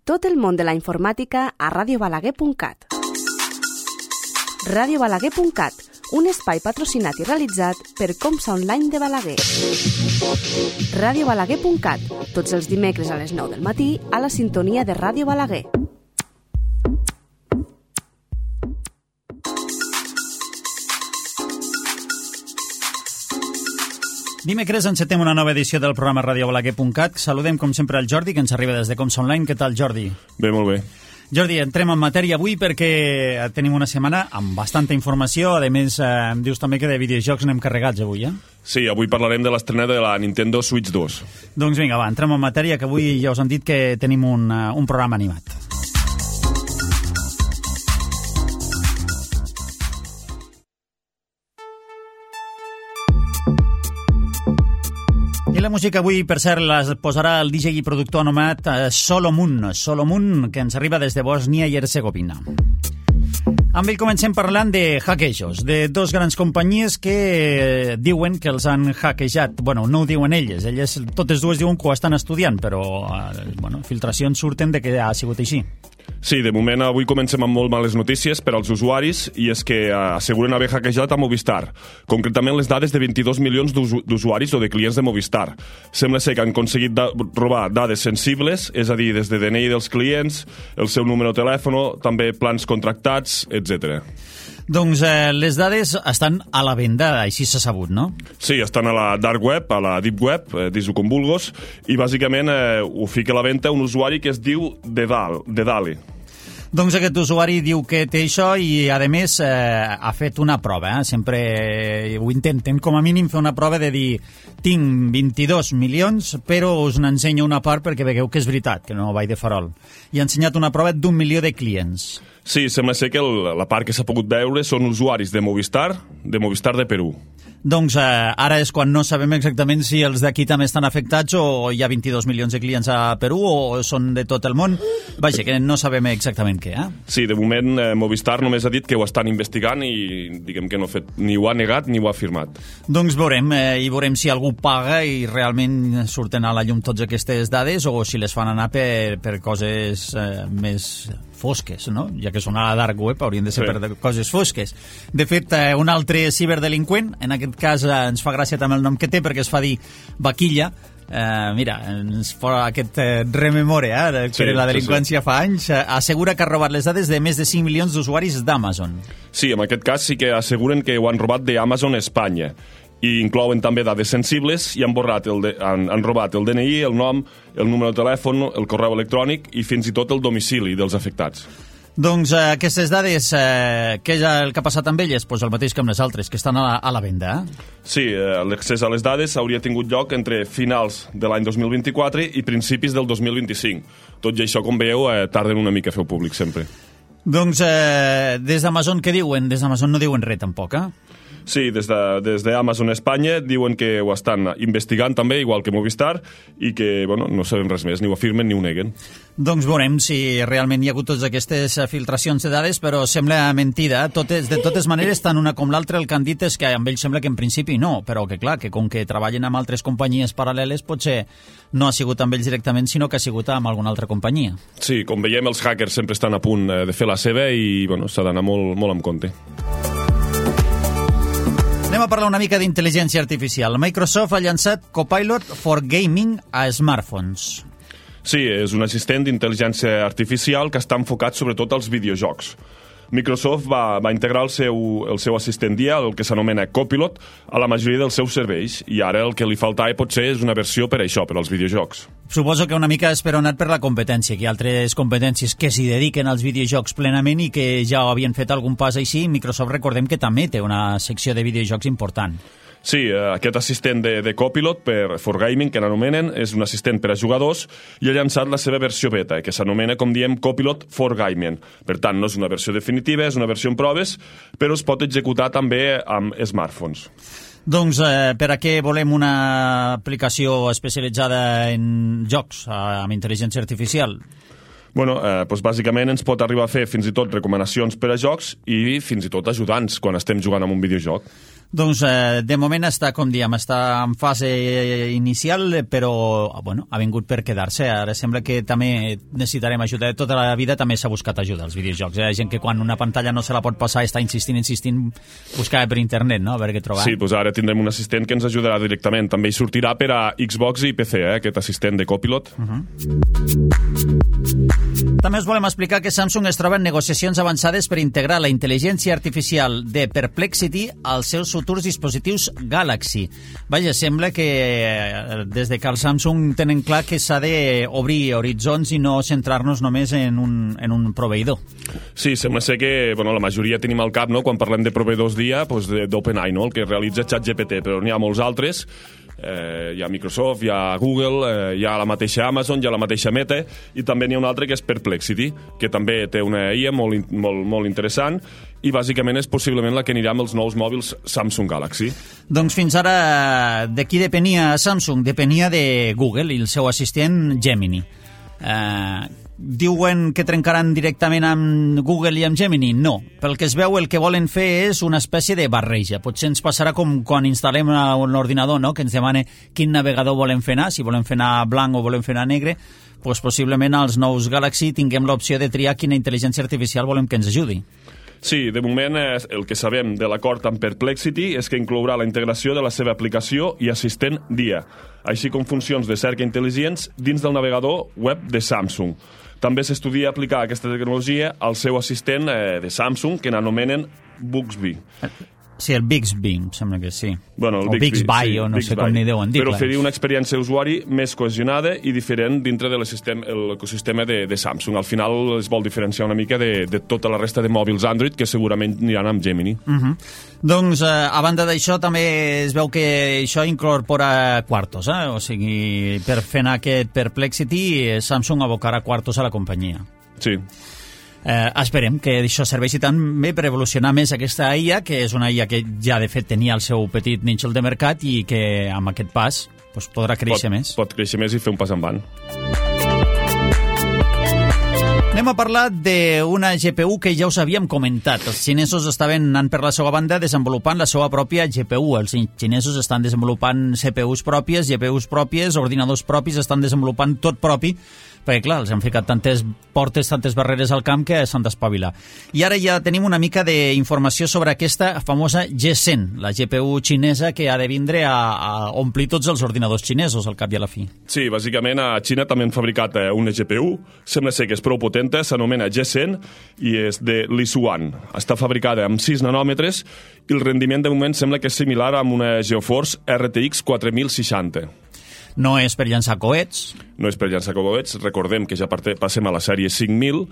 Tot el món de la informàtica a radiobalaguer.cat. radiobalaguer.cat, un espai patrocinat i realitzat per Comsa Online de Balaguer. radiobalaguer.cat, tots els dimecres a les 9 del matí a la sintonia de Ràdio Balaguer. Dimecres encetem una nova edició del programa radiobalaguer.cat. Saludem, com sempre, el Jordi, que ens arriba des de Comsa Online. Què tal, Jordi? Bé, molt bé. Jordi, entrem en matèria avui perquè tenim una setmana amb bastanta informació. A més, em dius també que de videojocs n'hem carregats avui, eh? Sí, avui parlarem de l'estrena de la Nintendo Switch 2. Doncs vinga, va, entrem en matèria, que avui ja us han dit que tenim un programa animat. I la música avui, per cert, la posarà el DJ i productor anomenat Solomon, que ens arriba des de Bòsnia i Hercegovina. Amb ell comencem parlant de hackejos, de dos grans companyies que diuen que els han hackejat. Bueno, no ho diuen elles totes dues diuen que ho estan estudiant, però filtracions surten de que ha sigut així. Sí, de moment avui comencem amb molt males notícies per als usuaris, i és que asseguren haver hackejat a Movistar, concretament les dades de 22 milions d'usuaris o de clients de Movistar. Sembla ser que han aconseguit robar dades sensibles, és a dir, des de DNI dels clients, el seu número de telèfon, també plans contractats, etc. Doncs les dades estan a la venda, així s'ha sabut, no? Sí, estan a la dark web, a la deep web, dis-ho com vulguis, i bàsicament ho fica a la venda un usuari que es diu Dedali. Doncs aquest usuari diu que té això i, a més, ha fet una prova. Sempre ho intenten, com a mínim, fer una prova de dir tinc 22 milions, però us n'ensenyo una part perquè vegueu que és veritat, que no vaig de farol. I ha ensenyat una prova d'1 milió de clients. Sí, sembla ser que la part que s'ha pogut veure són usuaris de Movistar de Perú. Doncs ara és quan no sabem exactament si els d'aquí també estan afectats o hi ha 22 milions de clients a Perú o són de tot el món. Vaja, que no sabem exactament què, eh? Sí, de moment Movistar només ha dit que ho estan investigant i diguem que no ha fet, ni ho ha negat ni ho ha afirmat. Doncs veurem si algú paga i realment surten a la llum totes aquestes dades o si les fan anar per coses més fosques, no? Ja que són a la dark web, haurien de ser per coses fosques. De fet, un altre ciberdelinqüent, en aquest cas ens fa gràcia també el nom que té perquè es fa dir Vaquilla. Mira, ens fa aquest rememore que la delinqüència fa anys. Assegura que ha robat les dades de més de 5 milions d'usuaris d'Amazon. Sí, en aquest cas sí que asseguren que ho han robat d'Amazon Espanya. I inclouen també dades sensibles i han robat el DNI, el nom, el número de telèfon, el correu electrònic i fins i tot el domicili dels afectats. Doncs aquestes dades, què és el que ha passat amb elles? Pues el mateix que amb les altres, que estan a la venda. Sí, l'accés a les dades hauria tingut lloc entre finals de l'any 2024 i principis del 2025. Tot i això, com veieu, tarden una mica a fer-ho públic sempre. Doncs des d'Amazon què diuen? Des d'Amazon no diuen res tampoc, Sí, des d'Amazon Espanya diuen que ho estan investigant també, igual que Movistar, i que no sabem res més, ni ho afirmen ni ho neguen. Doncs veurem si realment hi ha hagut totes aquestes filtracions de dades, però sembla mentida. De totes maneres, tant una com l'altra, el que han dit és que amb ells sembla que en principi no, però que clar, que com que treballen amb altres companyies paral·leles, potser no ha sigut amb ells directament, sinó que ha sigut amb alguna altra companyia. Sí, com veiem, els hackers sempre estan a punt de fer la seva i s'ha d'anar molt amb compte. Anem a parlar una mica d'intel·ligència artificial. Microsoft ha llançat Copilot for Gaming a smartphones. Sí, és un assistent d'intel·ligència artificial que està enfocat sobretot als videojocs. Microsoft va integrar el seu assistent d'IA, el que s'anomena Copilot, a la majoria dels seus serveis, i ara el que li faltava potser és una versió per això, per als videojocs. Suposo que una mica esperonat per la competència, que hi ha altres competències que s'hi dediquen als videojocs plenament i que ja havien fet algun pas així. Microsoft, recordem que també té una secció de videojocs important. Sí, aquest assistent de Copilot for Gaming, que l'anomenen, és un assistent per a jugadors i ha llançat la seva versió beta, que s'anomena, com diem, Copilot for Gaming. Per tant, no és una versió definitiva, és una versió en proves, però es pot executar també amb smartphones. Doncs per a què volem una aplicació especialitzada en jocs amb intel·ligència artificial? Bueno, doncs bàsicament ens pot arribar a fer fins i tot recomanacions per a jocs i fins i tot ajudants quan estem jugant amb un videojoc. Doncs de moment està, com diem, està en fase inicial, però bueno, ha vingut per quedar-se. Ara sembla que també necessitarem ajuda. Tota la vida també s'ha buscat ajuda als videojocs. Hi ha gent que quan una pantalla no se la pot passar està insistint, buscava per internet, no? A veure què trobar. Sí, doncs ara tindrem un assistent que ens ajudarà directament. També hi sortirà per a Xbox i PC, aquest assistent de Copilot. També us volem explicar que Samsung es troba en negociacions avançades per integrar la intel·ligència artificial de Perplexity als seus futurs dispositius Galaxy. Vaja, sembla que des de que el Samsung tenen clar que s'ha d'obrir horitzons i no centrar-nos només en un proveïdor. Sí, sembla ser que la majoria tenim al cap, no? Quan parlem de proveïdors d'IA, d'OpenAI, no? El que realitza ChatGPT, però n'hi ha molts altres. Hi ha Microsoft, hi ha Google, hi ha la mateixa Amazon, hi ha la mateixa Meta, i també n'hi ha un altre que és Perplexity, que també té una IA molt interessant, i bàsicament és possiblement la que anirà amb els nous mòbils Samsung Galaxy. Doncs fins ara, de qui depenia Samsung? Depenia de Google i el seu assistent Gemini. Diuen que trencaran directament amb Google i amb Gemini? No. Pel que es veu, el que volen fer és una espècie de barreja. Potser ens passarà com quan instal·lem un ordinador, no? Que ens demana quin navegador volem fer anar, si volem fer anar blanc o volem fer anar negre, doncs possiblement als nous Galaxy tinguem l'opció de triar quina intel·ligència artificial volem que ens ajudi. Sí, de moment el que sabem de l'acord amb Perplexity és que inclourà la integració de la seva aplicació i assistent d'IA, així com funcions de cerca intel·ligents dins del navegador web de Samsung. També s'estudia aplicar aquesta tecnologia al seu assistent de Samsung, que n'anomenen Bixby. Sí, el Bixby, em sembla que sí. Bueno, o Bixby, o no sé com n'hi deuen dir. Per oferir una experiència d'usuari més cohesionada i diferent dintre de l'ecosistema de Samsung. Al final es vol diferenciar una mica de tota la resta de mòbils Android, que segurament aniran amb Gemini. Doncs, a banda d'això, també es veu que això incorpora quartos, o sigui, per fer anar aquest Perplexity, Samsung abocarà quartos a la companyia. Sí. Esperem que això serveixi també per evolucionar més aquesta IA, que és una IA que ja de fet tenia el seu petit nínxol de mercat i que amb aquest pas podrà créixer més. Pot créixer més i fer un pas endavant. Anem a parlar d'una GPU que ja us havíem comentat. Els xinesos estaven anant per la seva banda desenvolupant la seva pròpia GPU. Els xinesos estan desenvolupant CPUs pròpies, GPUs pròpies, ordinadors propis, estan desenvolupant tot propi, perquè clar, els han ficat tantes portes, tantes barreres al camp que s'han d'espavilar. I ara ja tenim una mica d'informació sobre aquesta famosa G100, la GPU xinesa que ha de vindre a omplir tots els ordinadors xinesos al cap i a la fi. Sí, bàsicament a Xina també han fabricat una GPU, sembla ser que és prou potenta, s'anomena G100 i és de Lisuan. Està fabricada amb 6 nanòmetres i el rendiment de moment sembla que és similar amb una GeForce RTX 4060. No és per llançar coets. No és per llançar coets. Recordem que ja passem a la sèrie 5000,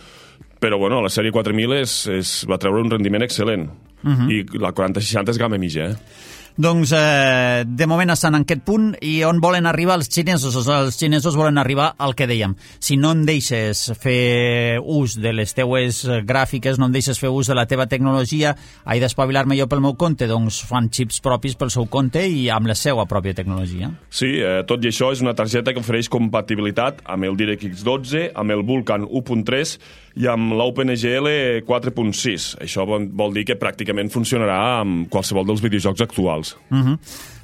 però la sèrie 4000 va treure un rendiment excel·lent. I la 4060 és gamma mitja, Doncs, de moment estan en aquest punt. I on volen arribar els xinesos? Els xinesos volen arribar al que dèiem. Si no em deixes fer ús de les teues gràfiques, no em deixes fer ús de la teva tecnologia, he d'espavilar-me jo pel meu compte, doncs fan xips propis pel seu compte i amb la seva pròpia tecnologia. Sí, tot i això és una targeta que ofereix compatibilitat amb el DirectX 12, amb el Vulkan 1.3 i amb l'OpenGL 4.6. Això vol dir que pràcticament funcionarà amb qualsevol dels videojocs actuals.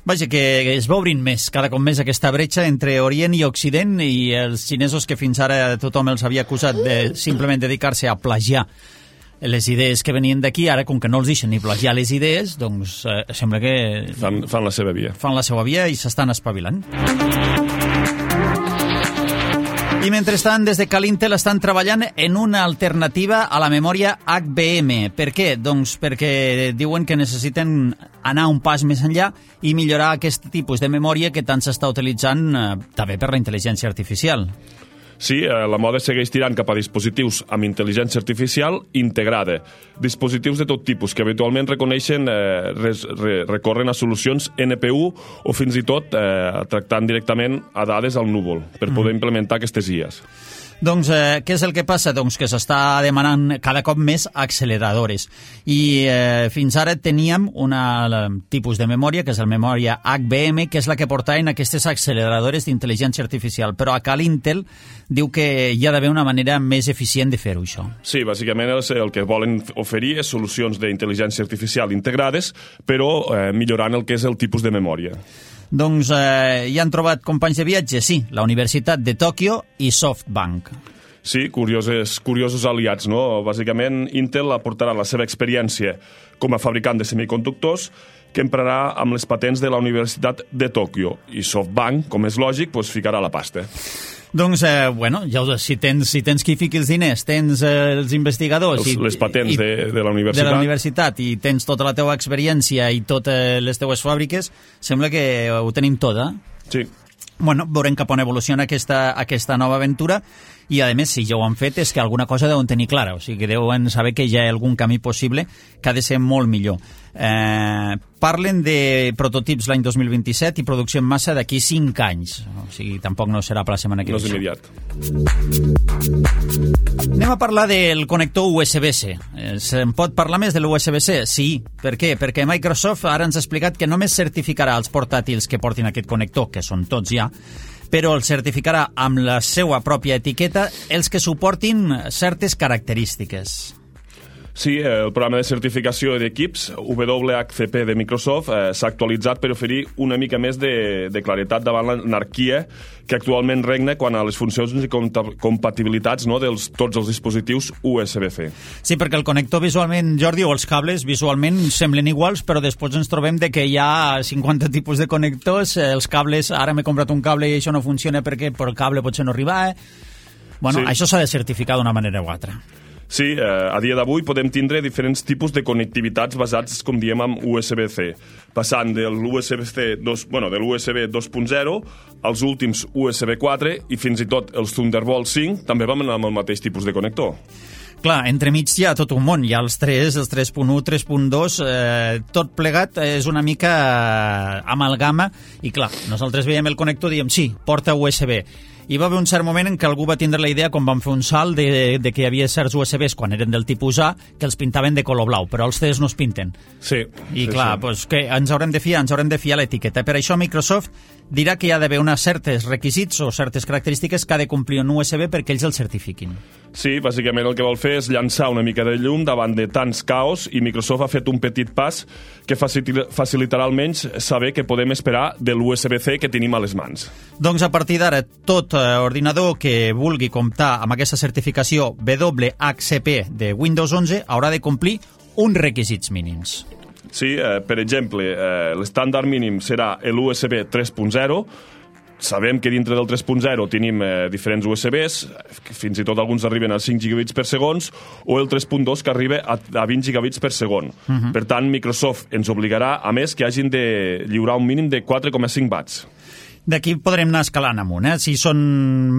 Vaja, que es va obrint més, cada cop més aquesta bretxa entre Orient i Occident, i els xinesos que fins ara tothom els havia acusat de simplement dedicar-se a plagiar les idees que venien d'aquí, ara com que no els deixen ni plagiar les idees, doncs sembla que fan la seva via. Fan la seva via i s'estan espavilant. I mentrestant, des de Calintel estan treballant en una alternativa a la memòria HBM. Per què? Doncs perquè diuen que necessiten anar un pas més enllà i millorar aquest tipus de memòria que tant s'està utilitzant també per la intel·ligència artificial. Sí, la moda segueix tirant cap a dispositius amb intel·ligència artificial integrada. Dispositius de tot tipus que habitualment reconeixen, recorren a solucions NPU o fins i tot tractant directament a dades al núvol per poder implementar aquestes IAs. Doncs què és el que passa? Doncs que s'està demanant cada cop més acceleradores. I fins ara teníem un tipus de memòria, que és la memòria HBM, que és la que portaven aquestes acceleradores d'intel·ligència artificial. Però acá l'Intel diu que hi ha d'haver una manera més eficient de fer-ho, això. Sí, bàsicament el que volen oferir és solucions d'intel·ligència artificial integrades, però millorant el que és el tipus de memòria. Doncs hi han trobat companys de viatge? Sí, la Universitat de Tòquio i SoftBank. Sí, curiosos aliats, no? Bàsicament, Intel aportarà la seva experiència com a fabricant de semiconductors que emprarà amb les patents de la Universitat de Tòquio. I SoftBank, com és lògic, ficarà la pasta. Doncs, si tens qui fiqui els diners, tens els investigadors... Les patents de la universitat. De la universitat i tens tota la teva experiència i totes les teues fàbriques, sembla que ho tenim tot, eh? Sí. Bueno, veurem cap on evoluciona aquesta nova aventura i, a més, si ja ho han fet, és que alguna cosa deuen tenir clara, o sigui que deuen saber que hi ha algun camí possible que ha de ser molt millor. Parlen de prototips l'any 2027 i producció en massa d'aquí 5 anys. O sigui, tampoc no serà per la setmana que ve. No és immediat. Anem a parlar del connector USB-C. Se'n pot parlar més de l'USB-C? Sí. Per què? Perquè Microsoft ara ens ha explicat que només certificarà els portàtils que portin aquest connector, que són tots ja, però el certificarà amb la seva pròpia etiqueta els que suportin certes característiques. Sí, el programa de certificació d'equips WHCP de Microsoft s'ha actualitzat per oferir una mica més de claretat davant l'anarquia que actualment regna quan a les funcions i compatibilitats, no, tots els dispositius USB-C. Sí, perquè el connector visualment, Jordi, o els cables visualment semblen iguals, però després ens trobem de que hi ha 50 tipus de connectors, els cables, ara m'he comprat un cable i això no funciona perquè per el cable potser no arriba. Bueno, sí. Això s'ha de certificar d'una manera o altra. Sí, a dia d'avui podem tindre diferents tipus de connectivitats basats, com diem, en USB-C, passant de l'USB 2.0 als últims USB 4 i fins i tot els Thunderbolt 5 també van amb el mateix tipus de connector. Clar, entremig hi ha tot un món, hi ha els 3, els 3.1, 3.2, tot plegat és una mica amalgama i clar, nosaltres veiem el connector i diem sí, porta USB. Hi va haver un cert moment en què algú va tindre la idea, quan van fer un salt, de que hi havia certs USBs, quan eren del tipus A, que els pintaven de color blau, però els CDs no es pinten. Sí. I clar, sí. Pues, que ens haurem de fiar l'etiqueta. Per això Microsoft dirà que hi ha d'haver uns certs requisits o certes característiques que ha de complir un USB perquè ells el certifiquin. Sí, bàsicament el que vol fer és llançar una mica de llum davant de tants caos i Microsoft ha fet un petit pas que facilitarà almenys saber què podem esperar de l'USB-C que tenim a les mans. Doncs a partir d'ara, tot ordinador que vulgui comptar amb aquesta certificació WHCP de Windows 11 haurà de complir uns requisits mínims. Sí, per exemple, l'estàndard mínim serà l'USB 3.0. Sabem que dintre del 3.0 tenim diferents USBs, fins i tot alguns arriben a 5 gigabits per segon, o el 3.2 que arriba a 20 gigabits per segon. Per tant, Microsoft ens obligarà, a més, que hagin de lliurar un mínim de 4,5 watts. D'aquí podrem anar escalant amunt. Si són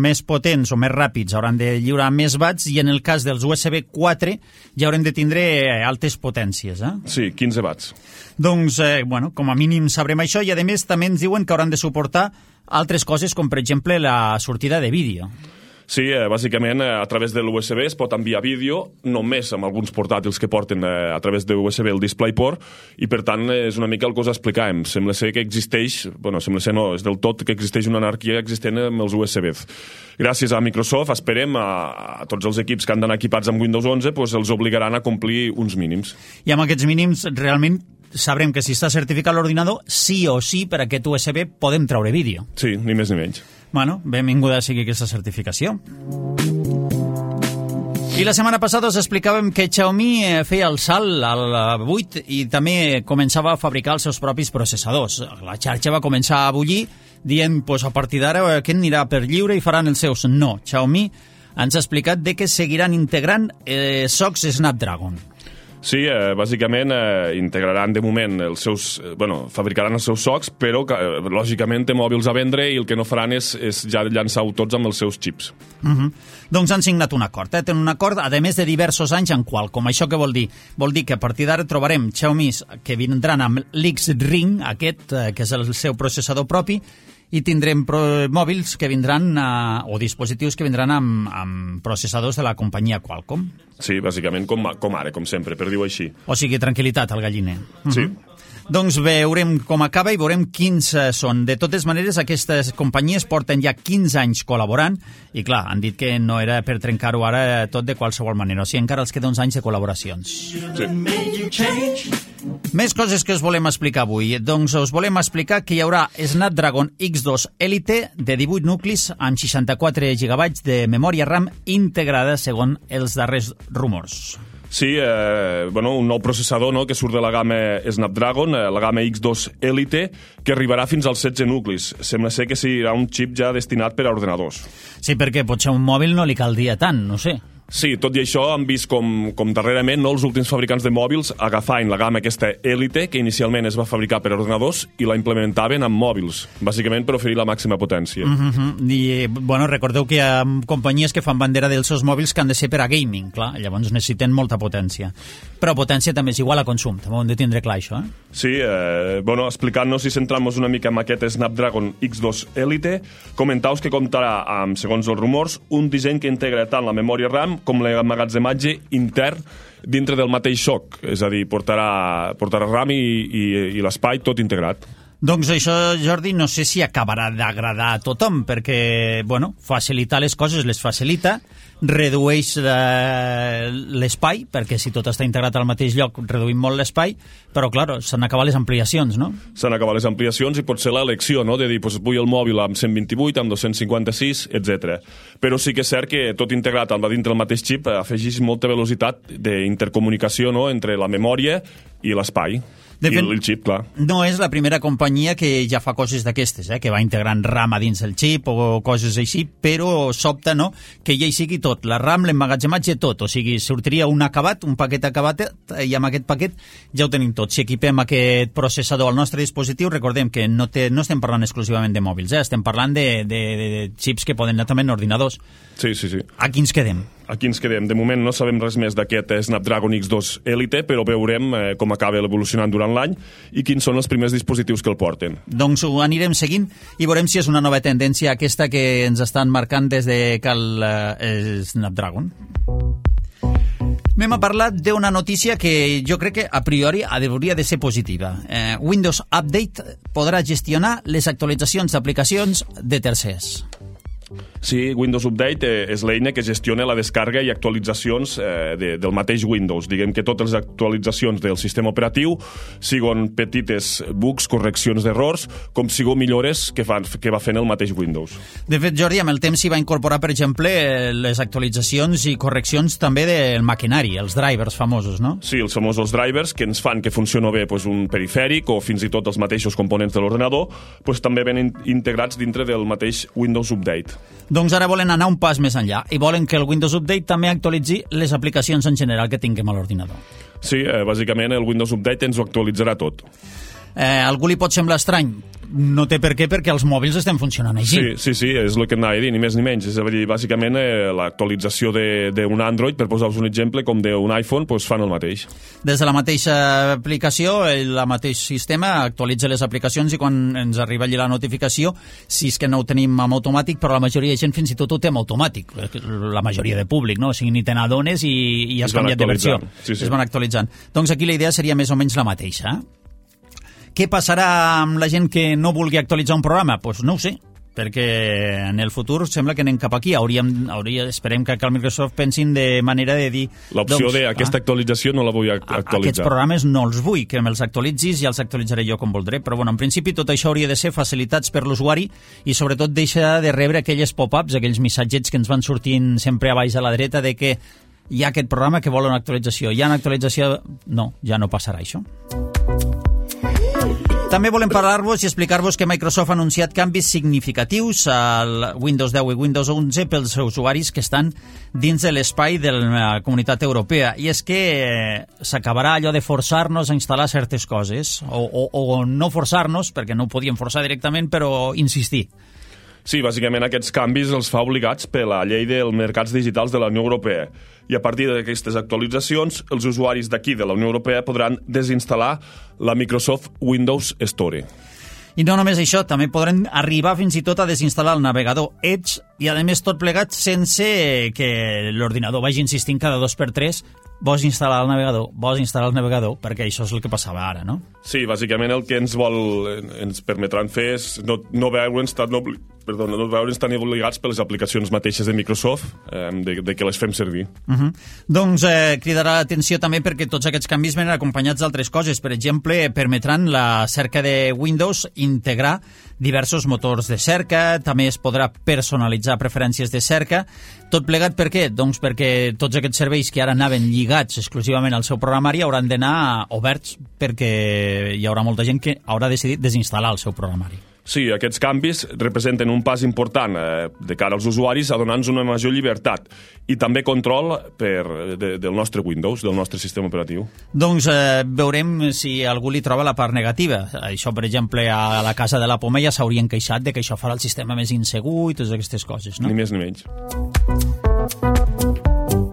més potents o més ràpids hauran de lliurar més watts i en el cas dels USB 4 ja haurem de tindre altes potències. Sí, 15 watts. Doncs, com a mínim sabrem això i a més també ens diuen que hauran de suportar altres coses com per exemple la sortida de vídeo. Sí, bàsicament a través de l'USB es pot enviar vídeo, només amb alguns portàtils que porten a través de USB el DisplayPort, i per tant és una mica el que us explicàvem. Sembla ser que existeix, sembla ser no, és del tot que existeix una anarquia existent amb els USBs. Gràcies a Microsoft, esperem, a tots els equips que han d'anar equipats amb Windows 11, els obligaran a complir uns mínims. I amb aquests mínims realment sabrem que si està certificat l'ordinador, sí o sí per aquest USB podem treure vídeo. Sí, ni més ni menys. Bueno, benvinguda sigui aquesta certificació. I la setmana passada us explicàvem que Xiaomi feia el salt al 8 i també començava a fabricar els seus propis processadors. La xarxa va començar a bullir dient, a partir d'ara aquest anirà per lliure i faran els seus. No, Xiaomi ens ha explicat que seguiran integrant socs Snapdragon. Sí, bàsicament integraran de moment els seus... fabricaran els seus socs, però lògicament té mòbils a vendre i el que no faran és ja llançar-ho tots amb els seus xips. Doncs han signat un acord. Tenen un acord, a més de diversos anys en Qualcomm. Això què vol dir? Vol dir que a partir d'ara trobarem Xiaomi que vindran amb l'X-Ring, aquest, que és el seu processador propi, i tindrem mòbils que vindran o dispositius que vindran amb processadors de la companyia Qualcomm. Sí, bàsicament com ara, com sempre, per dir-ho així. O sigui, tranquil·litat al galliner. Sí. Doncs veurem com acaba i veurem quins són. De totes maneres, aquestes companyies porten ja 15 anys col·laborant i, clar, han dit que no era per trencar-ho ara tot de qualsevol manera. O sigui, encara els queda uns anys de col·laboracions. Sí. Més coses que us volem explicar avui. Doncs us volem explicar que hi haurà Snapdragon X2 Elite de 18 nuclis amb 64 GB de memòria RAM integrada segons els darrers rumors. Sí, un nou processador que surt de la gamma Snapdragon, la gamma X2 Elite, que arribarà fins als 16 nuclis. Sembla ser que serà un xip ja destinat per a ordenadors. Sí, perquè potser un mòbil no li caldria tant, no sé. Sí, tot i això han vist com darrerament els últims fabricants de mòbils agafaven la gamma aquesta Elite, que inicialment es va fabricar per a ordenadors, i la implementaven amb mòbils, bàsicament per oferir la màxima potència. I, recordeu que hi ha companyies que fan bandera dels seus mòbils que han de ser per a gaming, clar, llavors necessiten molta potència. Però potència també és igual a consum, també ho hem de tindre clar, això, Sí, explicant-nos i centrant-nos una mica en aquest Snapdragon X2 Elite, comentaus que comptarà amb, segons els rumors, un disseny que integra tant la memòria RAM com l'emmagatzematge intern dintre del mateix soc, és a dir, portarà RAM i l'espai tot integrat. Doncs això, Jordi, no sé si acabarà d'agradar a tothom, perquè, facilitar les coses les facilita, redueix l'espai, perquè si tot està integrat al mateix lloc reduïm molt l'espai, però, clar, s'han acabat les ampliacions, no? S'han acabat les ampliacions i pot ser l'elecció, no?, de dir, vull el mòbil amb 128, amb 256, etc. Però sí que és cert que tot integrat dintre del mateix xip afegeix molta velocitat d'intercomunicació, no?, entre la memòria i l'espai. I el xip, clar. No és la primera companyia que ja fa coses d'aquestes, que va integrant RAM a dins el xip o coses així, però sobta, no?, que ja hi sigui tot, la RAM, l'emmagatzematge, tot. O sigui, sortiria un paquet acabat, i amb aquest paquet ja ho tenim tot. Si equipem aquest processador al nostre dispositiu, recordem que no estem parlant exclusivament de mòbils, estem parlant de xips que poden anar també en ordinadors. Sí. Aquí ens quedem. Aquí ens quedem. De moment no sabem res més d'aquest Snapdragon X2 Elite, però veurem com acaba evolucionant durant l'any i quins són els primers dispositius que el porten. Doncs ho anirem seguint i veurem si és una nova tendència aquesta que ens estan marcant des de cal Snapdragon. Anem a parlar d'una notícia que jo crec que a priori hauria de ser positiva. Windows Update podrà gestionar les actualitzacions d'aplicacions de tercers. Sí, Windows Update és l'eina que gestiona la descàrrega i actualitzacions del mateix Windows. Diguem que totes les actualitzacions del sistema operatiu siguin petites bugs, correccions d'errors, com siguin millores que va fent el mateix Windows. De fet, Jordi, amb el temps s'hi va incorporar, per exemple, les actualitzacions i correccions també del maquinari, els drivers famosos, no? Sí, els famosos drivers que ens fan que funcioni bé un perifèric o fins i tot els mateixos components de l'ordenador, també venen integrats dintre del mateix Windows Update. Doncs ara volen anar un pas més enllà i volen que el Windows Update també actualitzi les aplicacions en general que tinguem a l'ordinador. Sí, bàsicament el Windows Update ens ho actualitzarà tot. Algú li pot semblar estrany? No té per què, perquè els mòbils estem funcionant així. Sí, és el que anava a dir, ni més ni menys. És a dir, bàsicament, l'actualització d'un Android, per posar-vos un exemple, com d'un iPhone, fan el mateix. Des de la mateixa aplicació, el mateix sistema actualitza les aplicacions i quan ens arriba allà la notificació, si és que no ho tenim amb automàtic, però la majoria de gent fins i tot ho té amb automàtic. La majoria de públic, no? O sigui, ni te n'adones i has canviat de versió. Sí. Es van actualitzant. Doncs aquí la idea seria més o menys la mateixa. Què passarà amb la gent que no vulgui actualitzar un programa? Doncs no ho sé, perquè en el futur sembla que anem cap aquí. Esperem que al Microsoft pensin de manera de dir... L'opció d'aquesta actualització no la vull actualitzar. Aquests programes no els vull, que me'ls actualitzis i els actualitzaré jo com voldré. Però en principi tot això hauria de ser facilitats per l'usuari i sobretot deixar de rebre aquelles pop-ups, aquells missatgets que ens van sortint sempre a baix a la dreta de que hi ha aquest programa que vol una actualització. Hi ha una actualització... No, ja no passarà això. També volem parlar-vos i explicar-vos que Microsoft ha anunciat canvis significatius al Windows 10 i Windows 11 pels usuaris que estan dins de l'espai de la Comunitat Europea. I és que s'acabarà allò de forçar-nos a instal·lar certes coses, o no forçar-nos, perquè no ho podíem forçar directament, però insistir. Sí, bàsicament aquests canvis els fa obligats per la llei dels mercats digitals de la Unió Europea. I a partir d'aquestes actualitzacions, els usuaris d'aquí de la Unió Europea podran desinstal·lar la Microsoft Windows Store. I no només això, també podrem arribar fins i tot a desinstal·lar el navegador Edge i, a més, tot plegat sense que l'ordinador vagi insistint cada 2x3 vols instal·lar el navegador, perquè això és el que passava ara, no? Sí, bàsicament el que ens permetran fer és no veure'ns tan obligats per les aplicacions mateixes de Microsoft de que les fem servir. Doncs cridarà l'atenció també perquè tots aquests canvis venen acompanyats d'altres coses. Per exemple, permetran la cerca de Windows integrar diversos motors de cerca, també es podrà personalitzar preferències de cerca. Tot plegat per què? Doncs perquè tots aquests serveis que ara anaven lligats exclusivament al seu programari hauran d'anar oberts perquè hi haurà molta gent que haurà decidit desinstal·lar el seu programari. Sí, aquests canvis representen un pas important de cara als usuaris a donar-nos una major llibertat i també control del nostre Windows, del nostre sistema operatiu. Doncs veurem si algú li troba la part negativa. Això, per exemple, a la casa de la Poma ja s'haurien queixat de que això farà el sistema més insegur i totes aquestes coses, no? Ni més ni menys.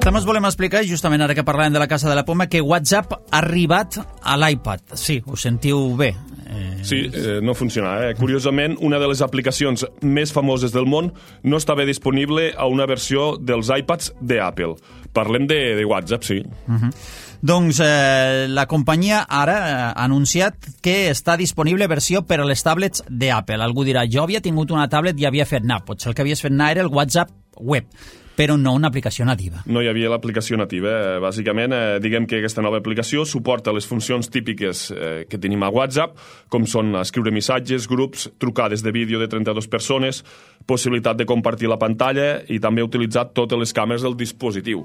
També us volem explicar, justament ara que parlàvem de la casa de la Poma, que WhatsApp ha arribat a l'iPad. Sí, ho sentiu bé. Sí, no funciona. Curiosament, una de les aplicacions més famoses del món no estava disponible a una versió dels iPads d'Apple. Parlem de WhatsApp, sí. Doncs la companyia ara ha anunciat que està disponible versió per a les tablets d'Apple. Algú dirà, jo havia tingut una tablet i havia fet anar. Potser el que havies fet anar era el WhatsApp web, però no una aplicació nativa. No hi havia l'aplicació nativa. Bàsicament, diguem que aquesta nova aplicació suporta les funcions típiques que tenim a WhatsApp, com són escriure missatges, grups, trucades de vídeo de 32 persones, possibilitat de compartir la pantalla i també utilitzar totes les càmeres del dispositiu.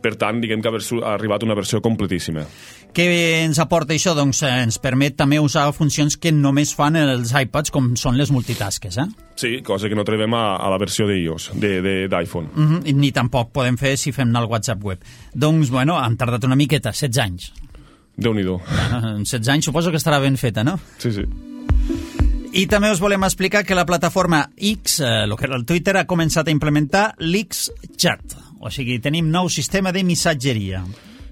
Per tant, diguem que ha arribat una versió completíssima. Què ens aporta això? Doncs ens permet també usar funcions que només fan els iPads, com són les multitasques, Sí, cosa que no trobem a la versió d'iOS, d'iPhone. Ni tampoc podem fer si fem anar el WhatsApp web. Doncs, bueno, han tardat una miqueta, 16 anys. Déu-n'hi-do. En 16 anys suposo que estarà ben feta, no? Sí, sí. I també us volem explicar que la plataforma X, el que era el Twitter, ha començat a implementar l'X-Chat. O sigui, tenim nou sistema de missatgeria.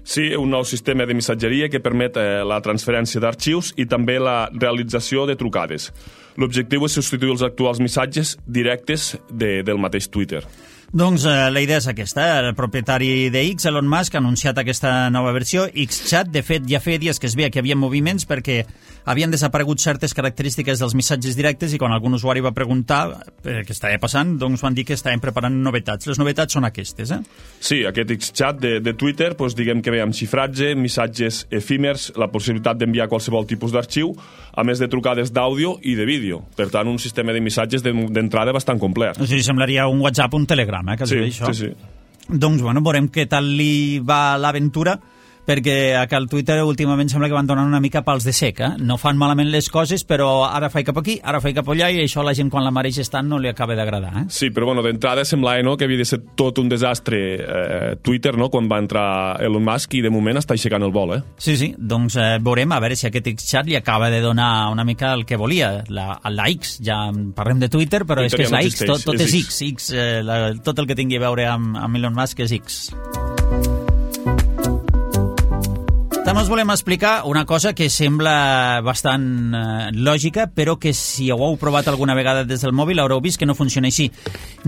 Sí, un nou sistema de missatgeria que permet la transferència d'arxius i també la realització de trucades. L'objectiu és substituir els actuals missatges directes del mateix Twitter. Doncs la idea és aquesta. El propietari de X, Elon Musk, ha anunciat aquesta nova versió, X-Chat. De fet, ja feia dies que es veia que hi havia moviments perquè havien desaparegut certes característiques dels missatges directes i quan algun usuari va preguntar què estava passant, doncs van dir que estaven preparant novetats. Les novetats són aquestes, Sí, aquest X-Chat de Twitter, doncs diguem que ve amb xifratge, missatges efímers, la possibilitat d'enviar qualsevol tipus d'arxiu, a més de trucades d'àudio i de vídeo. Per tant, un sistema de missatges d'entrada bastant complet. O sigui, semblaria un WhatsApp, un Telegram, sí, això. Sí. Doncs, bueno, veurem què tal li va l'aventura, perquè al Twitter últimament sembla que van donant una mica pals de sec, No fan malament les coses, però ara faig cap aquí, ara faig cap allà, i això a la gent quan la mareix estant no li acaba d'agradar, Sí, però bueno, d'entrada semblava que havia de ser tot un desastre Twitter, quan va entrar Elon Musk, i de moment està aixecant el vol, Sí, doncs veurem a veure si aquest X-Chat li acaba de donar una mica el que volia, la X, ja parlem de Twitter, però és que és la X, tot és X, tot el que tingui a veure amb Elon Musk és X. També us volem explicar una cosa que sembla bastant lògica, però que si ho heu provat alguna vegada des del mòbil haureu vist que no funciona així.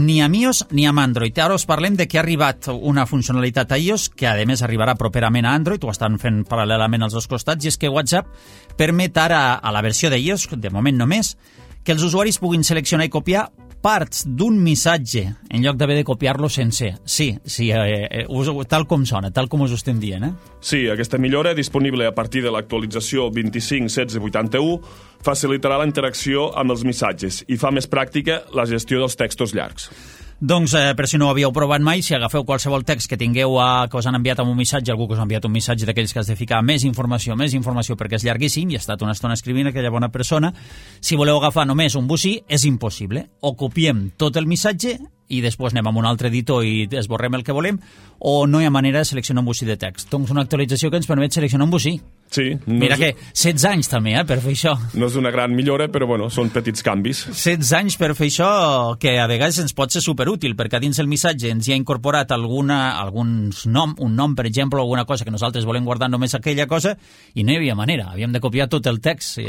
Ni amb iOS ni amb Android. Ara us parlem de que ha arribat una funcionalitat a iOS, que a més arribarà properament a Android, ho estan fent paral·lelament als dos costats, i és que WhatsApp permet ara a la versió d'iOS, de moment només, que els usuaris puguin seleccionar i copiar parts d'un missatge en lloc d'haver de copiar-lo sencer. Sí, tal com sona, tal com us ho estem dient, Sí, aquesta millora, disponible a partir de l'actualització 25.16.81, facilitarà la interacció amb els missatges i fa més pràctica la gestió dels textos llargs. Doncs, per si no ho havíeu provat mai, si agafeu qualsevol text que tingueu que us han enviat amb un missatge, algú que us ha enviat un missatge d'aquells que has de ficar més informació perquè és llarguíssim i ha estat una estona escrivint aquella bona persona, si voleu agafar només un bocí, és impossible. O copiem tot el missatge i després anem amb un altre editor i esborrem el que volem, o no hi ha manera de seleccionar un bocí de text. Doncs una actualització que ens permet seleccionar un bocí. Sí. Mira que 16 anys també, per fer això. No és una gran millora, però bueno, són petits canvis. 16 anys per fer això, que a vegades ens pot ser superútil, perquè a dins el missatge ens hi ha incorporat un nom, per exemple, o alguna cosa que nosaltres volem guardar només aquella cosa, i no hi havia manera, havíem de copiar tot el text.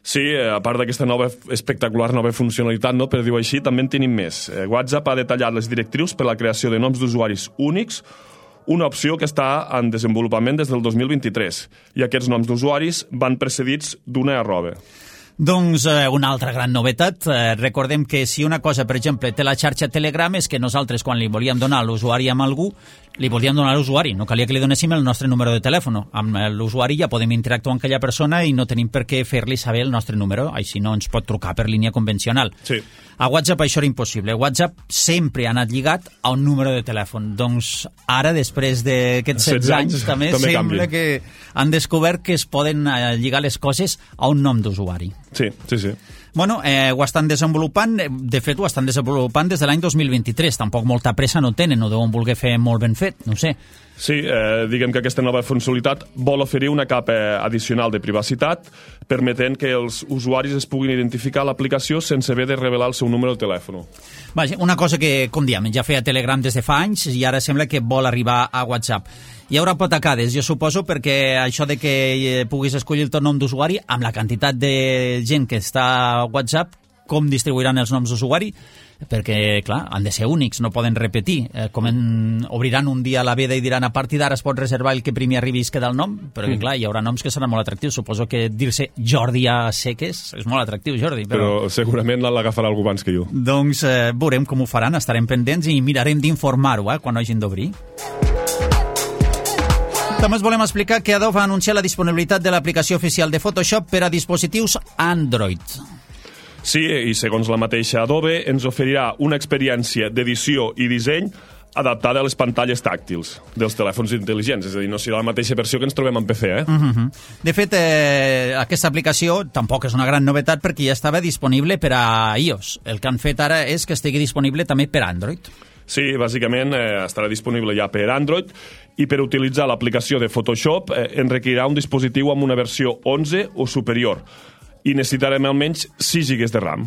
Sí, a part d'aquesta espectacular nova funcionalitat, no, per dir-ho així, també en tenim més. WhatsApp ha detallat les directrius per a la creació de noms d'usuaris únics, una opció que està en desenvolupament des del 2023, i aquests noms d'usuaris van precedits d'una arroba. Doncs una altra gran novetat. Recordem que si una cosa, per exemple, té la xarxa Telegram, és que nosaltres, quan li volíem donar l'usuari amb algú, li volíem donar a l'usuari. No calia que li donéssim el nostre número de telèfon. Amb l'usuari ja podem interactuar amb aquella persona i no tenim per què fer-li saber el nostre número. Així no ens pot trucar per línia convencional. Sí. A WhatsApp això era impossible. WhatsApp sempre ha anat lligat a un número de telèfon. Doncs ara, després d'aquests 16 anys, també sembla que han descobert que es poden lligar les coses a un nom d'usuari. Sí. Bueno, ho estan desenvolupant, de fet ho estan desenvolupant des de l'any 2023, tampoc molta pressa no tenen, ho deuen voler fer molt ben fet, no sé. Sí, diguem que aquesta nova funcionalitat vol oferir una capa addicional de privacitat, permetent que els usuaris es puguin identificar a l'aplicació sense haver de revelar el seu número de telèfon. Vaja, una cosa que, com diem, ja feia Telegram des de fa anys i ara sembla que vol arribar a WhatsApp. Hi haurà potacades, jo suposo, perquè això de que puguis escollir el teu nom d'usuari, amb la quantitat de gent que està a WhatsApp, com distribuiran els noms d'usuari? Perquè, clar, han de ser únics, no poden repetir. Obriran un dia la veda i diran a partir d'ara es pot reservar el que primer arribi i es queda el nom, però clar, hi haurà noms que seran molt atractius. Suposo que dir-se Jordi a seques és molt atractiu, Jordi. Però segurament l'agafarà algú abans que jo. Doncs veurem com ho faran, estarem pendents i mirarem d'informar-ho quan hagin d'obrir. També us volem explicar que Adobe va anunciar la disponibilitat de l'aplicació oficial de Photoshop per a dispositius Android. Sí, i segons la mateixa Adobe, ens oferirà una experiència d'edició i disseny adaptada a les pantalles tàctils dels telèfons intel·ligents, és a dir, no serà la mateixa versió que ens trobem en PC, De fet, aquesta aplicació tampoc és una gran novetat perquè ja estava disponible per a iOS. El que han fet ara és que estigui disponible també per Android. Sí, bàsicament estarà disponible ja per Android i per utilitzar l'aplicació de Photoshop en requerirà un dispositiu amb una versió 11 o superior i necessitarem almenys 6 GB de RAM.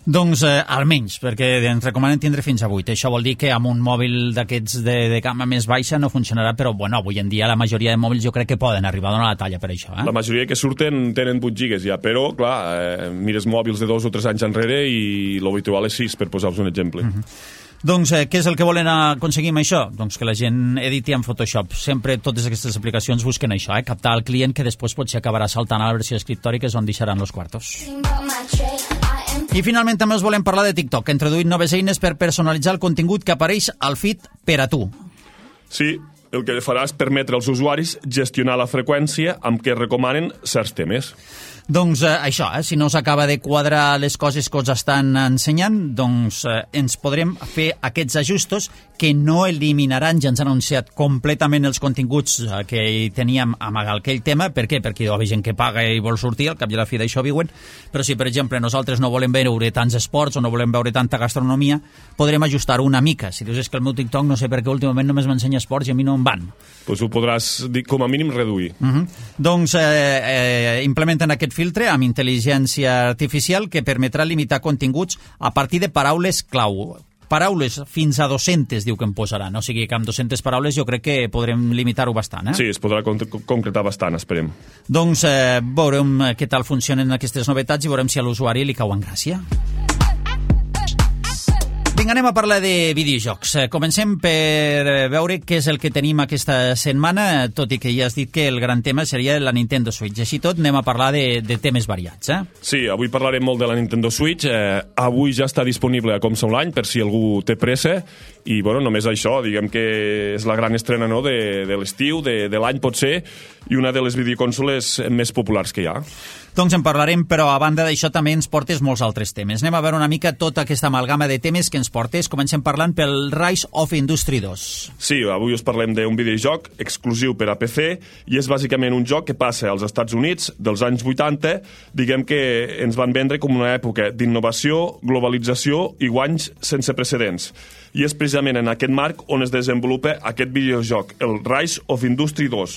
Doncs almenys, perquè ens recomanen tindre fins a 8. Això vol dir que amb un mòbil d'aquests de gamma més baixa no funcionarà, però bueno, avui en dia la majoria de mòbils jo crec que poden arribar a donar la talla per això. La majoria que surten tenen 8 gigas ja, però clar, mires mòbils de 2 o 3 anys enrere i l'habitual és 6, per posar-vos un exemple. Doncs què és el que volen aconseguir amb això? Doncs que la gent editi en Photoshop. Sempre totes aquestes aplicacions busquen això, captar el client que després potser acabarà saltant a la versió d'escriptori, que és on deixaran els quartos. I finalment també us volem parlar de TikTok, que ha introduït noves eines per personalitzar el contingut que apareix al feed per a tu. Sí, el que farà és permetre als usuaris gestionar la freqüència amb què recomanen certs temes. Doncs això, si no us acaba de quadrar les coses que us estan ensenyant, doncs ens podrem fer aquests ajustos que no eliminaran, ja ens han anunciat completament els continguts que hi teníem amagat aquell tema. Per què? Perquè hi ha gent que paga i vol sortir, al cap i a la fi d'això viuen, però si per exemple nosaltres no volem veure tants esports o no volem veure tanta gastronomia, podrem ajustar-ho una mica. Si dius que el meu TikTok no sé per què últimament només m'ensenya esports i a mi no em van. Doncs ho podràs, com a mínim, reduir. Doncs implementen aquest filtre amb intel·ligència artificial que permetrà limitar continguts a partir de paraules clau. Paraules fins a 200 diu que em posaran, o sigui que amb 200 paraules jo crec que podrem limitar-ho bastant. Sí, es podrà concretar bastant, esperem. Doncs veurem què tal funcionen aquestes novetats i veurem si a l'usuari li cau en gràcia. Vinga, anem a parlar de videojocs. Comencem per veure què és el que tenim aquesta setmana, tot i que ja has dit que el gran tema seria la Nintendo Switch. Així tot, anem a parlar de temes variats. Sí, avui parlarem molt de la Nintendo Switch. Avui ja està disponible a Comsa Online, per si algú té pressa. I, bueno, només això, diguem que és la gran estrena, no?, de l'estiu, de l'any potser, i una de les videoconsoles més populars que hi ha. Doncs en parlarem, però a banda d'això també ens portes molts altres temes. Anem a veure una mica tota aquesta amalgama de temes que ens portes. Comencem parlant pel Rise of Industry 2. Sí, avui us parlem d'un videojoc exclusiu per a PC i és bàsicament un joc que passa als Estats Units dels anys 80, diguem que ens van vendre com una època d'innovació, globalització i guanys sense precedents. I és precisament en aquest marc on es desenvolupa aquest videojoc, el Rise of Industry 2,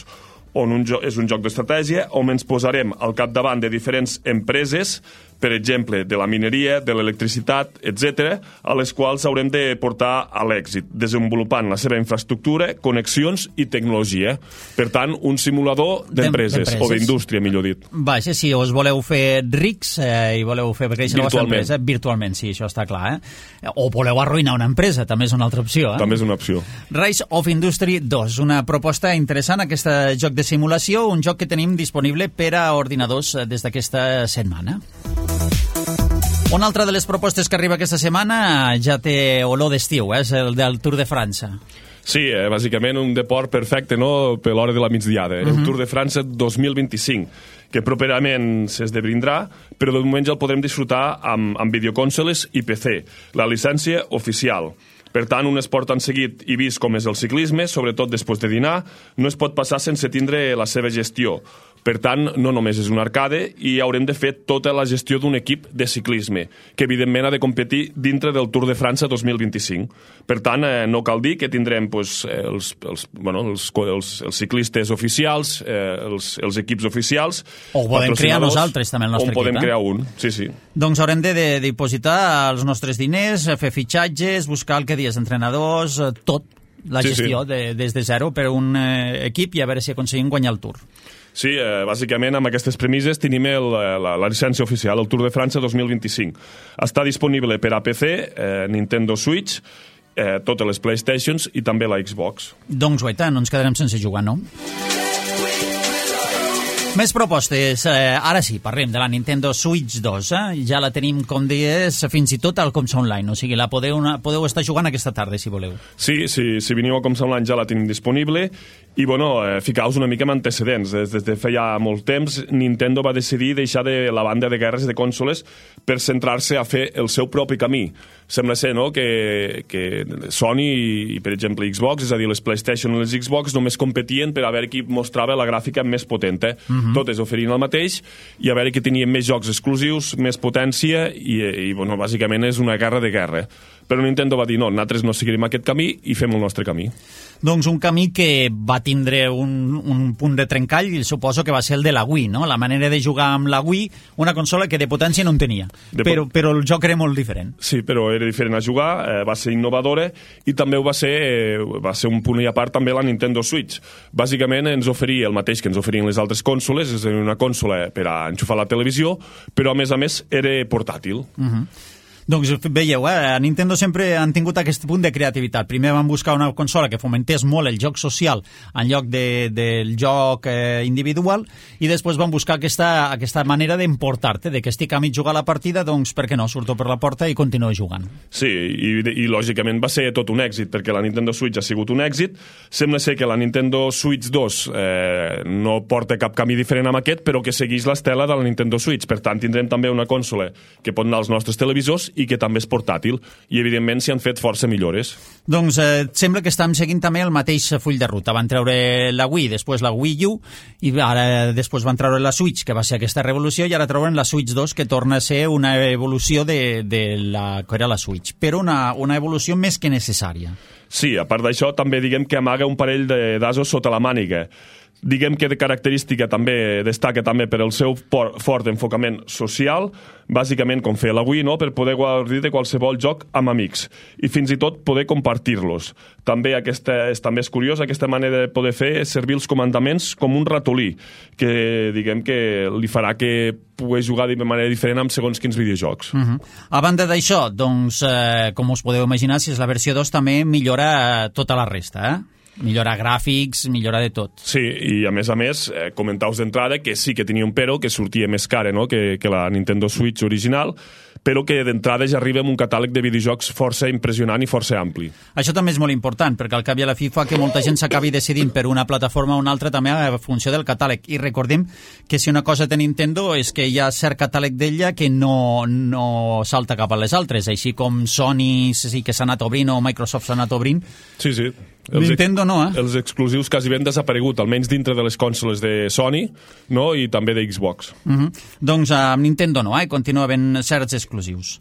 on és un joc d'estratègia on ens posarem al capdavant de diferents empreses per exemple, de la mineria, de l'electricitat, etc., a les quals haurem de portar a l'èxit, desenvolupant la seva infraestructura, connexions i tecnologia. Per tant, un simulador d'empreses, o d'indústria, millor dit. Vaja, si us voleu fer rics i voleu fer créixer la vostra empresa, virtualment, sí, això està clar. O voleu arruïnar una empresa, també és una altra opció. També és una opció. Rise of Industry 2, una proposta interessant, aquest joc de simulació, un joc que tenim disponible per a ordinadors des d'aquesta setmana. Una altra de les propostes que arriba aquesta setmana ja té olor d'estiu, és el del Tour de França. Sí, bàsicament un deport perfecte, no?, per l'hora de la migdiada. El Tour de França 2025, que properament s'esdebrindrà, però de moment ja el podrem disfrutar amb videoconsoles i PC, la llicència oficial. Per tant, un esport tan seguit i vist com és el ciclisme, sobretot després de dinar, no es pot passar sense tindre la seva gestió. Per tant, no només és un arcade i haurem de fer tota la gestió d'un equip de ciclisme, que evidentment ha de competir dintre del Tour de França 2025. Per tant, no cal dir que tindrem els ciclistes oficials, els equips oficials. O podem crear nosaltres també el nostre equip. O podem crear un, sí. Doncs haurem de dipositar els nostres diners, fer fitxatges, buscar el que dies entrenadors, tot, la gestió des de zero per un equip i a veure si aconseguim guanyar el Tour. Sí, bàsicament amb aquestes premisses tenim la llicència oficial, el Tour de França 2025. Està disponible per a PC, Nintendo Switch, totes les PlayStations i també la Xbox. Doncs guaita, no ens quedarem sense jugar, no? Més propostes. Ara sí, parlem de la Nintendo Switch 2. Ja la tenim, com deies, fins i tot al Comsa Online. O sigui, la podeu estar jugant aquesta tarda, si voleu. Sí, si veniu a Comsa Online ja la tenim disponible. I, ficaos una mica en antecedents. Des de feia molt temps, Nintendo va decidir deixar de la banda de guerres de consoles per centrar-se a fer el seu propi camí. Sembla ser, no?, que Sony i, per exemple, Xbox, és a dir, les PlayStation i les Xbox, només competien per a veure qui mostrava la gràfica més potent. Totes oferint el mateix i a veure qui tenien més jocs exclusius, més potència i bàsicament és una guerra de guerra. Però Nintendo va dir, no, nosaltres no seguirem aquest camí i fem el nostre camí. Doncs un camí que va tindre un punt de trencall i suposo que va ser el de la Wii, no? La manera de jugar amb la Wii, una consola que de potència no en tenia, però el joc era molt diferent. Sí, però era diferent a jugar, va ser innovadora i també va ser un punt i a part també la Nintendo Switch. Bàsicament ens oferia el mateix que ens oferien les altres consoles, és a dir, una consola per a enxufar la televisió, però a més era portàtil. Doncs veieu, a Nintendo sempre han tingut aquest punt de creativitat. Primer van buscar una consola que fomentés molt el joc social en lloc del joc individual i després van buscar aquesta manera d'emportar-te, de que estic a mig jugar la partida, doncs per què no, surto per la porta i continuo jugant. Sí, i lògicament va ser tot un èxit, perquè la Nintendo Switch ha sigut un èxit. Sembla ser que la Nintendo Switch 2 no porta cap camí diferent amb aquest, però que segueix l'estela de la Nintendo Switch. Per tant, tindrem també una consola que pot anar als nostres televisors i que també és portàtil, i evidentment s'hi han fet força millores. Doncs sembla que estem seguint també el mateix full de ruta. Van treure la Wii, després la Wii U, i ara després van treure la Switch, que va ser aquesta revolució, i ara treuen la Switch 2, que torna a ser una evolució de la que era la Switch, però una evolució més que necessària. Sí, a part d'això, també diguem que amaga un parell d'asos sota la màniga. Diguem que de característica també destaca també per el seu fort enfocament social, bàsicament com feia la Wii, no?, per poder gaudir de qualsevol joc amb amics i fins i tot poder compartir-los. També també és curiós, aquesta manera de poder fer és servir els comandaments com un ratolí, que diguem que li farà que pugui jugar de manera diferent amb segons quins videojocs. A banda d'això, doncs, com us podeu imaginar, si és la versió 2 també millora tota la resta, millora gràfics, millora de tot. Sí, i a més, comentaus d'entrada que sí que tenia un però, que sortia més cara, no?, que la Nintendo Switch original, però que d'entrada ja arriba amb un catàleg de videojocs força impressionant i força ampli. Això també és molt important, perquè al cap i a la fi fa que molta gent s'acabi decidint per una plataforma o una altra també a funció del catàleg. I recordem que si una cosa té Nintendo és que hi ha cert catàleg d'ella que no salta cap a les altres, així com Sony sí que s'ha anat obrint o Microsoft s'ha anat obrint. Sí. Nintendo no, Els exclusius quasi ben desaparegut, almenys dintre de les consoles de Sony, no?, i també de Xbox. Doncs amb Nintendo no, continua havent certs exclusius.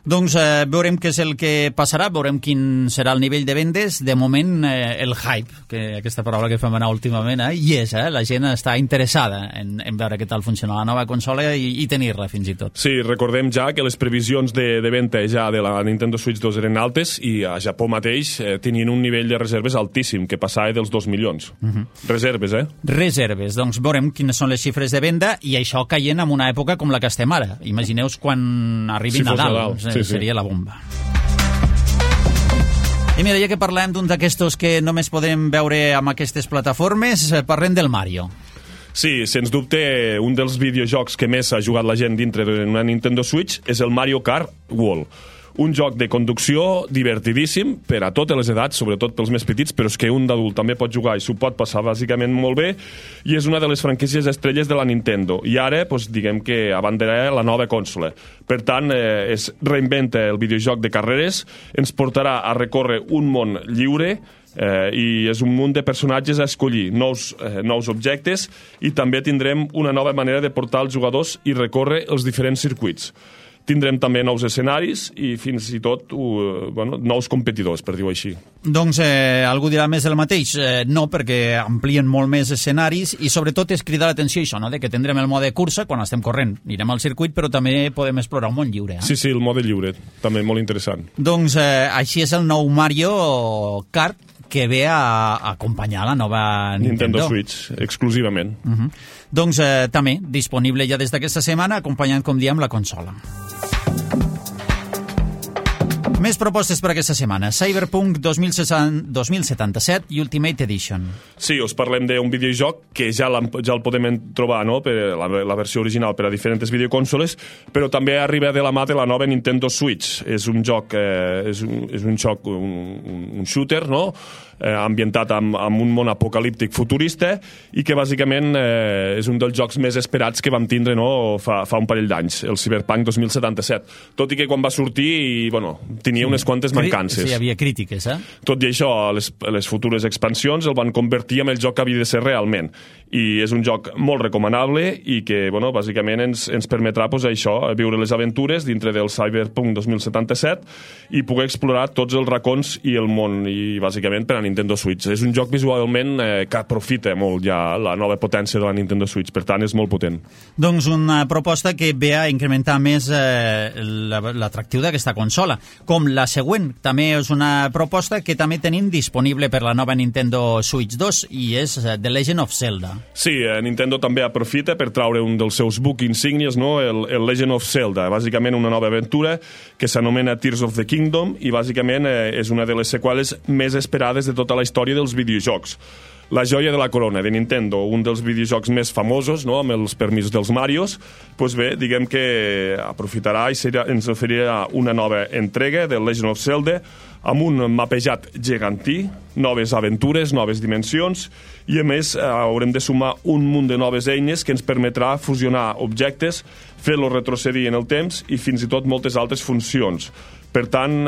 Doncs veurem què és el que passarà, veurem quin serà el nivell de vendes. De moment, el hype, que aquesta paraula que fem anar últimament, hi és, la gent està interessada en veure què tal funciona la nova consola i tenir-la fins i tot. Sí, recordem ja que les previsions de venda ja de la Nintendo Switch 2 eren altes i a Japó mateix tenien un nivell de reserves altíssim, que passava dels 2 milions. Reserves, Reserves, doncs veurem quines són les xifres de venda i això caient en una època com la que estem ara. Imagineu-vos quan arribi Nadal. Seria la bomba. I mira, ja que parlem d'un d'aquestos que només podem veure amb aquestes plataformes, parlem del Mario. Sí, sens dubte, un dels videojocs que més ha jugat la gent dintre d'una Nintendo Switch és el Mario Kart World. Un joc de conducció divertidíssim per a totes les edats, sobretot pels més petits, però és que un d'adult també pot jugar i s'ho pot passar bàsicament molt bé, i és una de les franquícies estrelles de la Nintendo. I ara, diguem que abanderarà la nova consola. Per tant, es reinventa el videojoc de carreres, ens portarà a recórrer un món lliure, i és un munt de personatges a escollir, nous objectes, i també tindrem una nova manera de portar els jugadors i recórrer els diferents circuits. Tindrem també nous escenaris i fins i tot nous competidors, per dir-ho així. Doncs algú dirà més del mateix. No, perquè amplien molt més escenaris i sobretot és cridar l'atenció això, de que tindrem el mode cursa quan estem corrent. Anirem al circuit, però també podem explorar un món lliure. Sí, el mode lliure, també molt interessant. Doncs així és el nou Mario Kart, que ve a acompanyar la nova Nintendo Switch, exclusivament. Doncs també disponible ja des d'aquesta setmana, acompanyant, com diem, la consola. Més propostes per aquesta setmana. Cyberpunk 2077 i Ultimate Edition. Sí, us parlem d'un videojoc que ja el podem trobar, per la versió original per a diferents videoconsoles, però també arriba de la mà de la nova Nintendo Switch. És un joc, un shooter, ambientat amb un món apocalíptic futurista i que bàsicament és un dels jocs més esperats que vam tindre fa un parell d'anys, el Cyberpunk 2077. Tot i que quan va sortir, tenia unes quantes mancances. Sí, hi havia crítiques, Tot i això, les futures expansions el van convertir en el joc que havia de ser realment. I és un joc molt recomanable i que, bàsicament ens permetrà, viure les aventures dintre del Cyberpunk 2077 i poder explorar tots els racons i el món, i bàsicament per a Nintendo Switch. És un joc visualment que aprofita molt ja la nova potència de la Nintendo Switch, per tant és molt potent. Doncs una proposta que ve a incrementar més l'atractiu d'aquesta consola. Com la següent, també és una proposta que també tenim disponible per la nova Nintendo Switch 2 i és The Legend of Zelda. Sí, Nintendo també aprofita per traure un dels seus book insígnies, el Legend of Zelda, bàsicament una nova aventura que s'anomena Tears of the Kingdom i bàsicament és una de les seqüeles més esperades de tota la història dels videojocs. La joia de la corona de Nintendo, un dels videojocs més famosos, amb els permisos dels Marios, diguem que aprofitarà i ens oferirà una nova entrega de Legend of Zelda amb un mapejat gegantí, noves aventures, noves dimensions, i a més haurem de sumar un munt de noves eines que ens permetrà fusionar objectes, fer-los retrocedir en el temps i fins i tot moltes altres funcions. Per tant,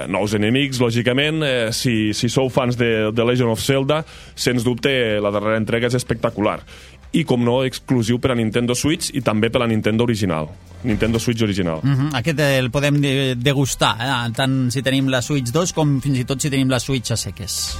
nous enemics, lògicament, si sou fans de Legend of Zelda, sens dubte la darrera entrega és espectacular. I, com no, exclusiu per a Nintendo Switch i també per a Nintendo original. Nintendo Switch original. Aquest el podem degustar, tant si tenim la Switch 2 com fins i tot si tenim la Switch a seques.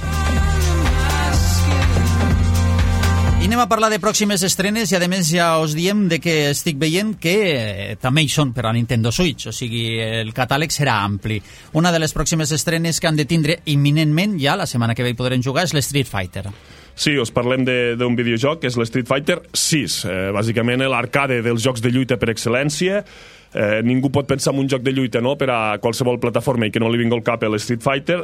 I anem a parlar de pròximes estrenes i a més ja us diem que estic veient que també hi són per a Nintendo Switch, o sigui, el catàleg serà ampli. Una de les pròximes estrenes que han de tindre imminentment, ja la setmana que ve hi podrem jugar, és l'Street Fighter. Sí, us parlem d'un videojoc que és l'Street Fighter 6, bàsicament l'arcade dels jocs de lluita per excel·lència. Ningú pot pensar en un joc de lluita per a qualsevol plataforma i que no li vingui al cap l'Street Fighter,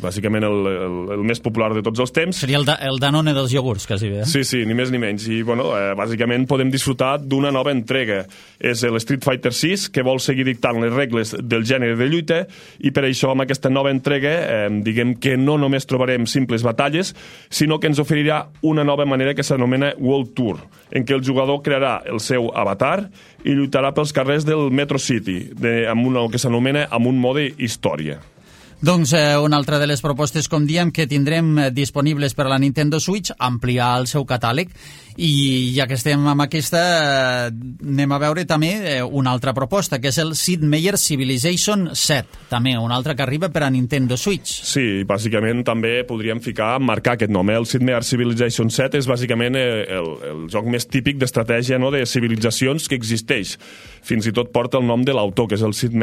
bàsicament el més popular de tots els temps. Seria el Danone dels iogurts, quasi bé. Sí, ni més ni menys. I, bàsicament podem disfrutar d'una nova entrega. És l'Street Fighter 6, que vol seguir dictant les regles del gènere de lluita, i per això amb aquesta nova entrega diguem que no només trobarem simples batalles, sinó que ens oferirà una nova manera que s'anomena World Tour, en què el jugador crearà el seu avatar i lluitarà pels carrers del Metro City, amb un que s'anomena amb un mode història. Doncs una altra de les propostes, com diem, que tindrem disponibles per a la Nintendo Switch, ampliar el seu catàleg, i ja que estem amb aquesta, anem a veure també una altra proposta, que és el Sid Meier Civilization 7, també una altra que arriba per a Nintendo Switch. Sí, bàsicament també podríem marcar aquest nom. El Sid Meier Civilization 7 és bàsicament el joc més típic d'estratègia, no?, de civilitzacions que existeix. Fins i tot porta el nom de l'autor, que és el Sid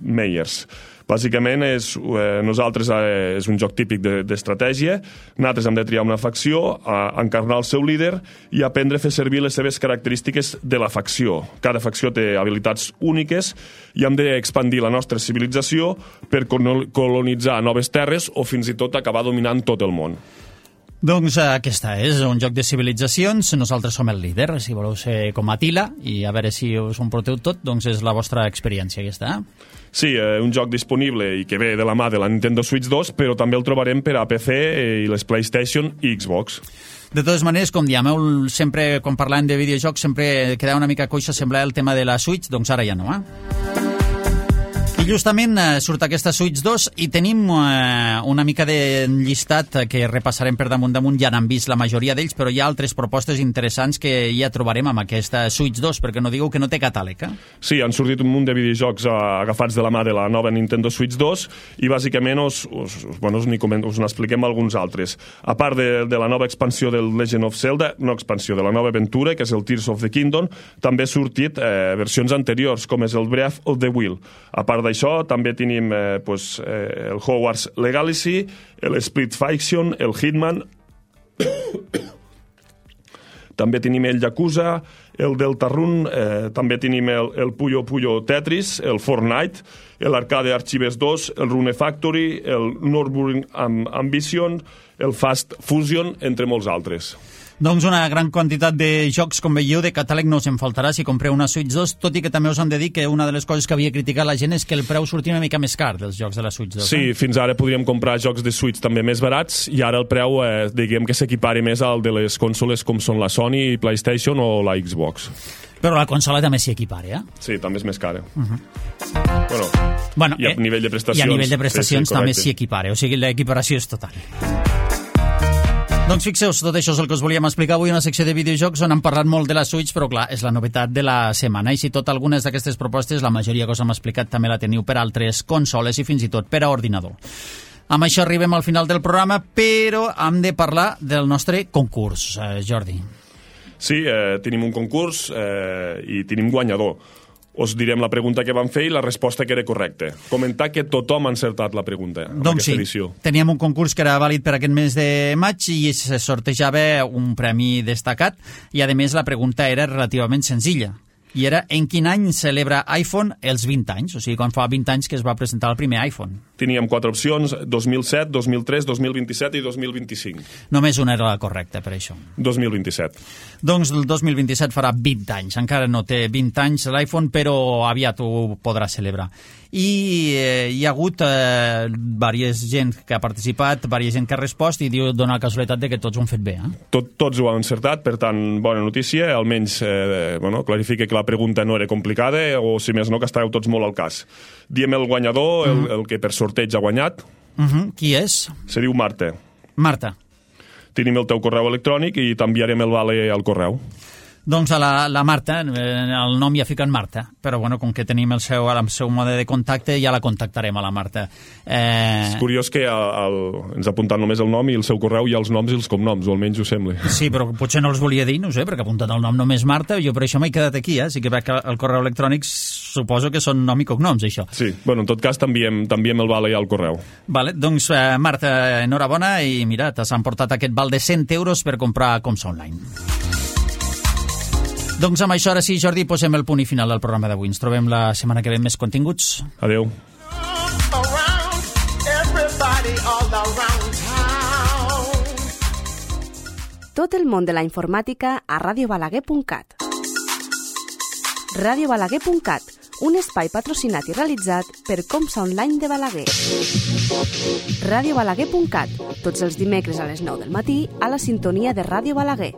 Meier's. Bàsicament és un joc típic d'estratègia. Nosaltres hem de triar una facció, encarnar el seu líder i aprendre a fer servir les seves característiques de la facció. Cada facció té habilitats úniques i hem d'expandir la nostra civilització per colonitzar noves terres o fins i tot acabar dominant tot el món. Doncs aquesta és un joc de civilitzacions, nosaltres som el líder, si voleu ser com Attila i a veure si us ho emporteu tot, doncs és la vostra experiència aquesta. Sí, un joc disponible i que ve de la mà de la Nintendo Switch 2, però també el trobarem per a PC i les PlayStation i Xbox. De totes maneres, com diem, sempre quan parlem de videojocs sempre queda una mica coixa semblar el tema de la Switch, doncs ara ja no, I justament surt aquesta Switch 2 i tenim una mica de llistat que repassarem per damunt. Ja n'han vist la majoria d'ells, però hi ha altres propostes interessants que ja trobarem amb aquesta Switch 2, perquè no digueu que no té catàleg, Sí, han sortit un munt de videojocs agafats de la mà de la nova Nintendo Switch 2 i bàsicament us n'expliquem alguns altres. A part de la nova expansió del Legend of Zelda, no expansió, de la nova aventura, que és el Tears of the Kingdom, també han sortit versions anteriors, com és el Breath of the Wild. A part d'això, també tenim el Hogwarts Legacy, el Split Fiction, el Hitman, també tenim el Yakuza, el Deltarune, també tenim el Puyo Puyo Tetris, el Fortnite, l'Arcade Archives 2, el Rune Factory, el Nürburgring Ambition, el Fast Fusion, entre molts altres. Doncs una gran quantitat de jocs, com veieu, de catàleg no us en faltarà si compreu una Switch 2, tot i que també us hem de dir que una de les coses que havia criticat la gent és que el preu sortia una mica més car dels jocs de la Switch 2. Sí, fins ara podríem comprar jocs de Switch també més barats i ara el preu, diguem que s'equipari més al de les consoles com són la Sony, PlayStation o la Xbox. Però la consola també s'hi equipara, Sí, també és més cara. Bueno, i a nivell de prestacions, i a nivell de prestacions sí, també s'hi equipara, o sigui, l'equiparació és total. Doncs fixeu-vos, tot això és el que us volíem explicar avui en una secció de videojocs on hem parlat molt de la Switch, però clar, és la novetat de la setmana. I si tot algunes d'aquestes propostes, la majoria que us hem explicat també la teniu per altres consoles i fins i tot per a ordinador. Amb això arribem al final del programa, però hem de parlar del nostre concurs, Jordi. Sí, tenim un concurs i tenim guanyador. Us direm la pregunta que vam fer i la resposta que era correcta. Comentar que tothom ha encertat la pregunta en aquesta edició. Teníem un concurs que era vàlid per aquest mes de maig i se sortejava un premi destacat i, a més, la pregunta era relativament senzilla. I era en quin any celebra iPhone els 20 anys, o sigui, quan fa 20 anys que es va presentar el primer iPhone. Teníem 4 opcions, 2007, 2003, 2027 i 2025. Només una era la correcta, per això. 2027. Doncs el 2027 farà 20 anys. Encara no té 20 anys l'iPhone, però aviat ho podrà celebrar. I hi ha hagut diversa gent que ha participat, diversa gent que ha respost i dona la casualitat de que tots ho han fet bé. Tots ho han encertat, per tant, bona notícia. Almenys clarifica que la pregunta no era complicada o, si més no, que estàveu tots molt al cas. Diem el guanyador, el que per sorteig ha guanyat. Qui és? Se diu Marta. Marta. Tenim el teu correu electrònic i t'enviarem el vale al correu. Doncs a la Marta, el nom ja fica en Marta, però bueno, com que tenim el seu mode de contacte, ja la contactarem a la Marta. És curiós que ens ha apuntat només el nom i el seu correu i els noms i els cognoms, o almenys ho sembla. Sí, però potser no els volia dir, no sé, perquè ha apuntat el nom només Marta, jo per això m'he quedat aquí, sí que veig que el correu electrònic suposo que són nom i cognoms, això. Sí, bueno, en tot cas t'enviem el vale al correu. Vale, doncs Marta, enhorabona i mira, t'has emportat aquest val de 100 euros per comprar Comsa Online. Doncs amb això, ara sí, Jordi, posem el punt i final del programa d'avui. Ens trobem la setmana que ve amb més continguts. Adéu. Tot el món de la informàtica a radiobalaguer.cat. radiobalaguer.cat, un espai patrocinat i realitzat per Comsa Online de Balaguer. radiobalaguer.cat, tots els dimecres a les 9 del matí a la sintonia de Ràdio Balaguer.